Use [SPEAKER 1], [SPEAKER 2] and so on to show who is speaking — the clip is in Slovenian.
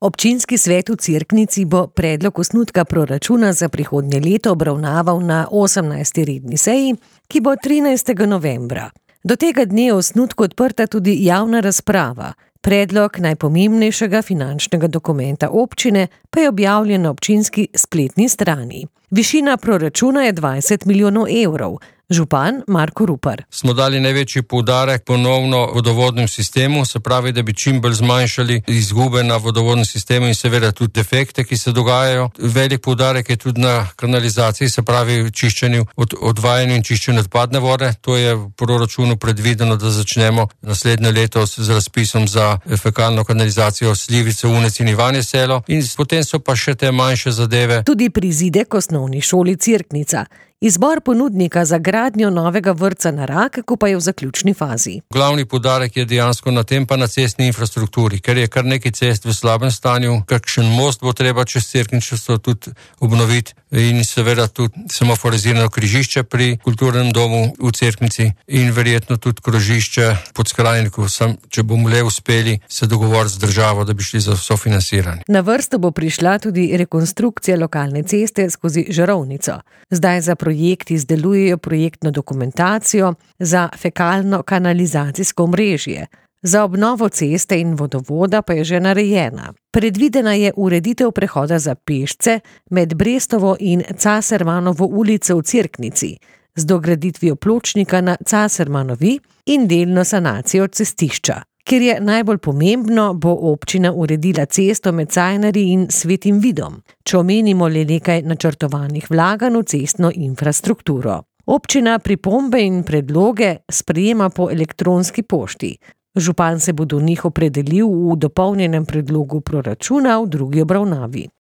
[SPEAKER 1] Občinski svet v Cerknici bo predlog osnutka proračuna za prihodnje leto obravnaval na 18. redni seji, ki bo 13. novembra. Do tega dne je osnutku odprta tudi javna razprava. Predlog najpomembnejšega finančnega dokumenta občine pa je objavljen na občinski spletni strani. Višina proračuna je 20 milijonov evrov. Župan Marko Rupar.
[SPEAKER 2] Smo dali največji poudarek ponovno vodovodnem sistemu, se pravi, da bi čim bolj zmanjšali izgube na vodovodnem sistemu in seveda tudi defekte, ki se dogajajo. Velik poudarek je tudi na kanalizaciji, se pravi čiščenju, odvajanju in čiščenju odpadne vode. To je v proračunu predvideno, da začnemo naslednje leto z razpisom za fekalno kanalizacijo Slivnice, Unec in Ivanje Selo. In potem so pa še te manjše zadeve.
[SPEAKER 1] Tudi prizidek osnovni šoli Cerknica. Izbor ponudnika za gradnjo novega vrtca na Rakeku pa je v zaključni fazi.
[SPEAKER 2] Glavni poudarek je dejansko na tem pa na cestni infrastrukturi, ker je kar nekaj cest v slabem stanju, kakšen most bo treba čez Cerknico tudi obnoviti in seveda tudi semaforizirano križišče pri kulturnem domu v Cerknici in verjetno tudi krožišče pod Skrajniku, če bomo le uspeli se dogovoriti z državo, da bi šli za sofinansiranje.
[SPEAKER 1] Na vrsto bo prišla tudi rekonstrukcija lokalne ceste skozi Žarovnico. Zdaj za projekt izdelujejo projektno dokumentacijo za fekalno kanalizacijsko omrežje. Za obnovo ceste in vodovoda pa je že narejena. Predvidena je ureditev prehoda za pešce med Brestovo in Casermanovo ulico v Cerknici z dograditvijo pločnika na Casermanovi in delno sanacijo cestišča. Ker je najbolj pomembno, bo občina uredila cesto med Cajnarji in Svetim Vidom, če omenimo le nekaj načrtovanih vlaganj v cestno infrastrukturo. Občina pripombe in predloge sprejema po elektronski pošti. Župan se bo do njih opredelil v dopolnjenem predlogu proračuna v drugi obravnavi.